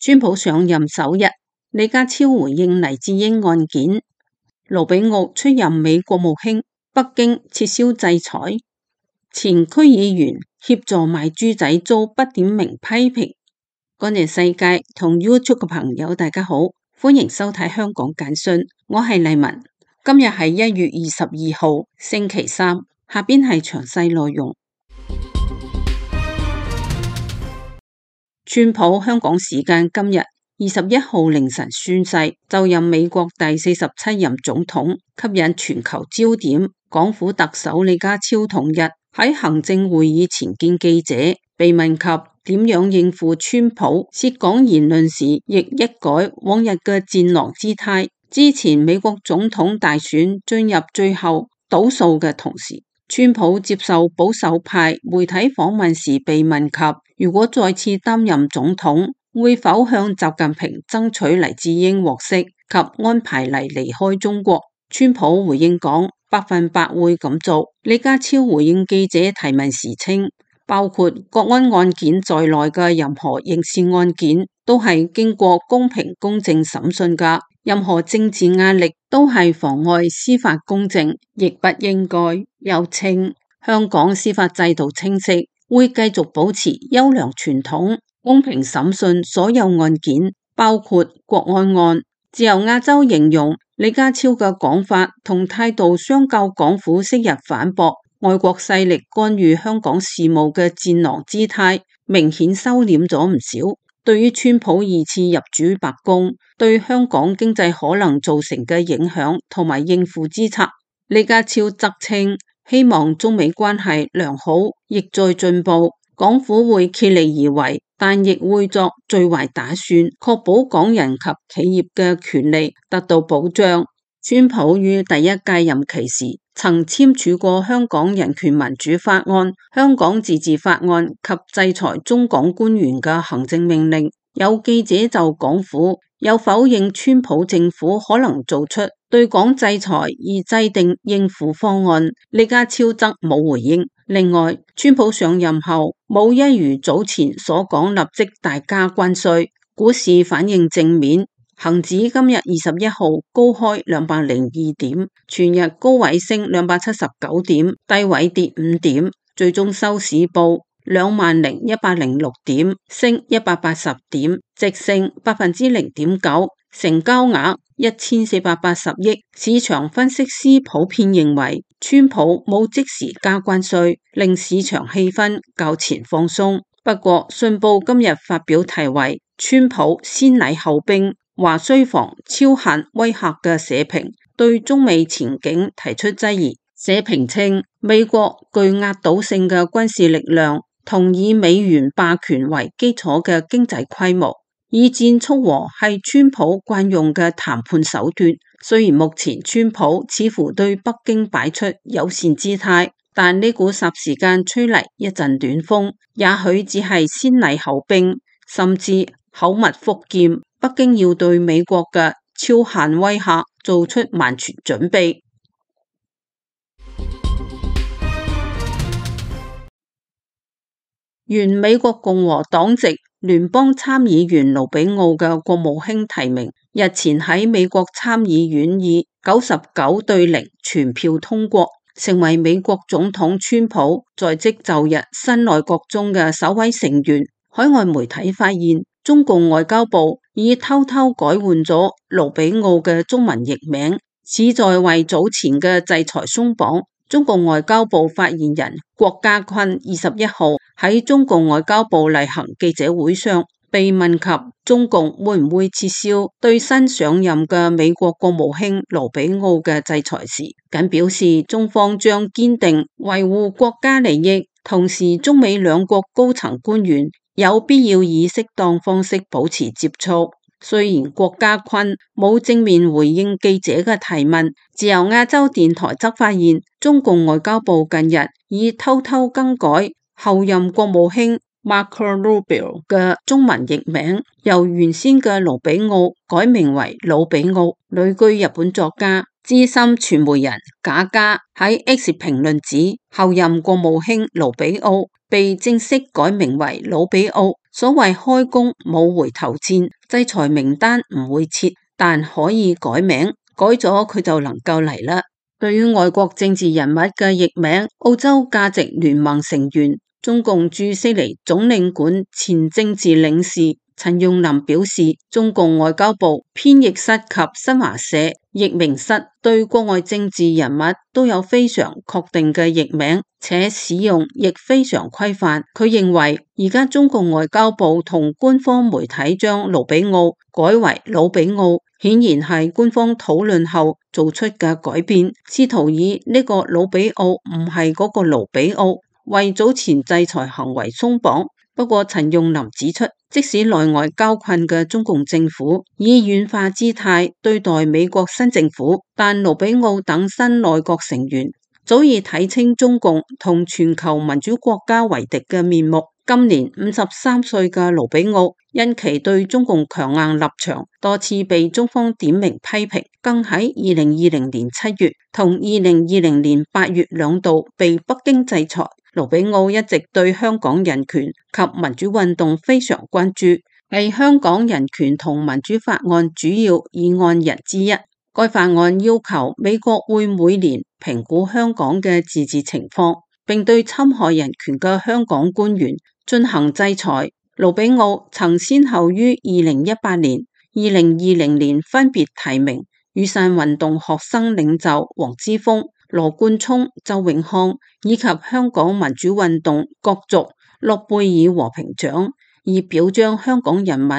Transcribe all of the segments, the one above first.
川普上任首日，李家超回應黎智英案件，盧比奧出任美國務卿，北京撤銷制裁，前區議員協助賣豬仔遭不點名批評。幹淨世界同 YouTube 嘅朋友大家好，歡迎收睇香港簡訊，我係麗文。今日係1月22號星期三，下邊係詳細內容。川普香港時間今日21號凌晨宣誓就任美國第47任總統，吸引全球焦點。港府特首李家超同日喺行政會議前見記者，被問及點樣應付川普涉港言論時，亦一改往日嘅戰狼姿態。之前美國總統大選進入最後倒數嘅同時，川普接受保守派媒體訪問時被問及，如果再次擔任總統，會否向習近平爭取黎智英獲釋及安排黎離開中國？川普回應講100%會咁做。李家超回應記者提問時稱，包括國安案件在內嘅任何刑事案件都係經過公平公正審訊㗎，任何政治壓力都係妨礙司法公正，亦不應該。又稱香港司法制度清晰，會繼續保持優良傳統，公平審訊所有案件，包括國安案。自由亞洲形容李家超嘅講法同態度相較港府昔日反駁外國勢力干預香港事務嘅戰狼姿態，明顯收斂咗唔少。對於川普2次入主白宮對香港經濟可能造成嘅影響同埋應付之策，李家超則稱希望中美關係良好，亦在進步，港府會竭力而為，但亦會作最壞打算，確保港人及企業嘅權利得到保障。川普於第一屆任期時曾簽署過香港人權民主法案、香港自治法案及制裁中港官員嘅行政命令。有記者就港府有否認川普政府可能做出對港制裁而制定應付方案，李家超則冇回應。另外，川普上任後冇一如早前所講立即大加關稅，股市反應正面。恒指今日21號高開202點，全日高位升279點，低位跌5點，最終收市報20,106點，升180點，直升0.9%，成交額1480億。市場分析師普遍認為，川普冇即時加關稅，令市場氣氛較前放鬆。不過，信報今日發表題為《川普先禮後兵，華需防超限威嚇》嘅社評，對中美前景提出質疑。社評稱，美國具壓倒性嘅軍事力量同以美元霸權為基礎嘅經濟規模，以戰促和係川普慣用嘅談判手段。雖然目前川普似乎對北京擺出友善姿態，但呢股霎時間吹嚟一陣暖風，也許只係先禮後兵，甚至口蜜腹劍。北京要對美國嘅超限威嚇做出萬全準備。原美國共和黨籍聯邦參議員盧比奧嘅國務卿提名，日前喺美國參議院以99-0全票通過，成為美國總統川普在職就日新內閣中嘅首位成員。海外媒體發現，中共外交部已偷偷改換咗盧比奧嘅中文譯名，旨在為早前嘅制裁鬆綁。中共外交部發言人郭家坤21號喺中共外交部例行記者會上被問及中共會唔會撤銷對新上任嘅美國國務卿盧比奧嘅制裁時，僅表示中方將堅定維護國家利益，同時中美兩國高層官員有必要以適當方式保持接觸。雖然郭家坤冇正面回應記者嘅提問，自由亞洲電台則發現中共外交部近日已偷偷更改後任國務卿 Marco Rubio 嘅中文譯名由原先嘅盧比奧改名為魯比奧。旅居日本作家、資深傳媒人賈嘉喺 X 評論指，後任國務卿盧比奧被正式改名為魯比奧。所謂開弓冇回頭箭，制裁名單唔會撤，但可以改名，改咗佢就能夠嚟啦。對於外國政治人物嘅譯名，澳洲價值聯盟成員、中共駐悉尼總領館前政治領事陳用林表示，中共外交部編譯室及新華社譯名室對國外政治人物都有非常確定嘅譯名，且使用亦非常規範。佢認為而家中共外交部同官方媒體將盧比奧改為魯比奧，顯然係官方討論後做出嘅改變，試圖以呢個魯比奧唔係嗰個盧比奧為早前制裁行為鬆綁。不過陳用林指出，即使內外交困嘅中共政府以軟化姿態對待美國新政府，但盧比奧等新內閣成員早已睇清中共同全球民主國家為敵嘅面目。今年53歲嘅盧比奧因其對中共強硬立場多次被中方點名批評，更喺2020年7月同2020年8月兩度被北京制裁。盧比奧一直對香港人權及民主運動非常關注，係香港人權同民主法案主要議案人之一。該法案要求美國會每年評估香港嘅自治情況，並對侵害人權嘅香港官員進行制裁。盧比奧曾先後於2018年、2020年分別提名雨傘運動學生領袖黃之鋒、羅冠聰、周永康以及香港民主運動角逐諾貝爾和平獎，以表彰香港人民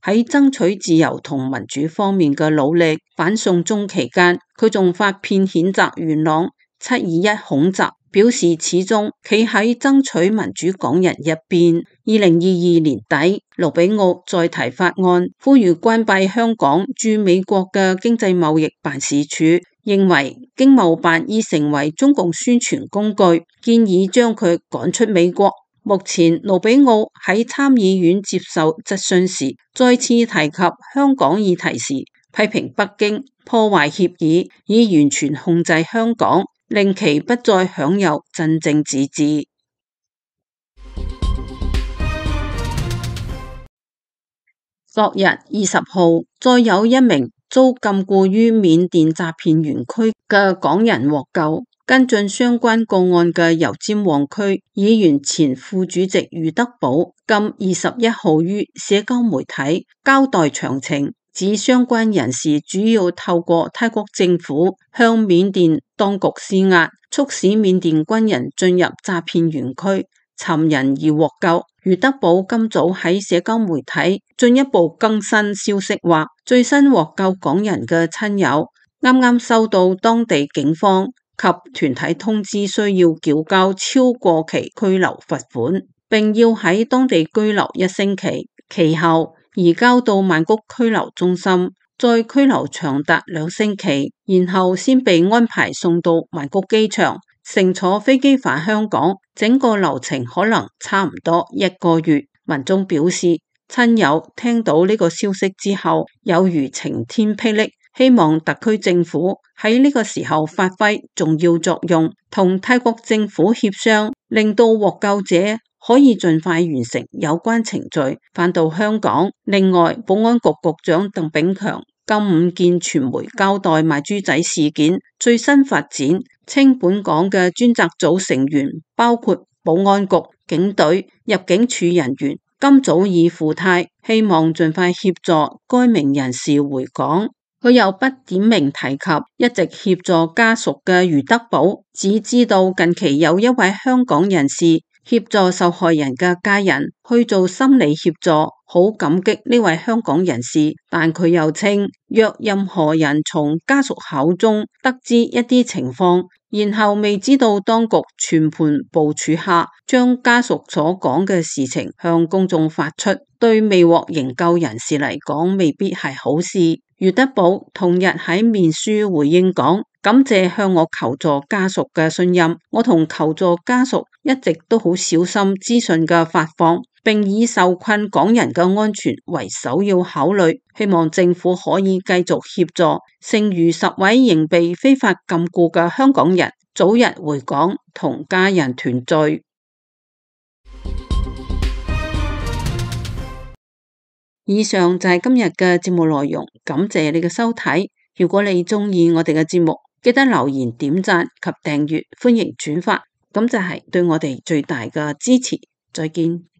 喺爭取自由同民主方面嘅努力。反送中期間，佢仲發片譴責元朗721恐襲，表示始終企喺爭取民主港人一邊。2022年底，盧比奧再提法案，呼籲關閉香港駐美國嘅經濟貿易辦事處，認為經貿辦已成為中共宣傳工具，建議將佢趕出美國。目前盧比奧喺參議院接受質詢時，再次提及香港議題時，批評北京破壞協議，以完全控制香港，令其不再享有真正自治。昨日20號，再有一名遭禁錮於緬甸詐騙園區嘅港人獲救。跟進相關個案嘅油尖旺區議員前副主席余德寶，今21號於社交媒體交代詳情，指相關人士主要透過泰國政府向緬甸當局施壓，促使緬甸軍人進入詐騙園區尋人而獲救。余德寶今早喺社交媒體進一步更新消息，話最新獲救港人嘅親友啱啱收到當地警方及團體通知，需要繳交超過期居留罰款，並要喺當地居留1星期，其後移交到曼谷拘留中心，再拘留長達2星期，然後先被安排送到曼谷機場，乘坐飛機返香港。整個流程可能差唔多1個月。民眾表示，親友聽到呢個消息之後，有如晴天霹靂。希望特區政府喺呢個時候發揮重要作用，同泰國政府協商，令到獲救者可以盡快完成有關程序，返到香港。另外，保安局局長鄧炳強今午見傳媒交代賣豬仔事件最新發展，稱本港嘅專責組成員包括保安局、警隊、入境處人員，今早已赴泰，希望盡快協助該名人士回港。佢又不點名提及一直協助家屬嘅余德寶，只知道近期有一位香港人士協助受害人嘅家人去做心理協助，好感激呢位香港人士。但佢又稱，若任何人從家屬口中得知一啲情況，然後未知道當局全盤部署下將家屬所講嘅事情向公眾發出，對未獲營救人士嚟講未必係好事。余德寶同日喺面書回應講，感謝向我求助家屬嘅信任，我同求助家屬一直都好小心資訊嘅發放，並以受困港人嘅安全為首要考慮。希望政府可以繼續協助剩餘10位仍被非法禁錮嘅香港人早日回港同家人團聚。以上就係今日嘅節目內容，感謝你嘅收睇。如果你中意我哋嘅節目，記得留言、點讚及訂閱，歡迎轉發，咁就係對我哋最大嘅支持。再見。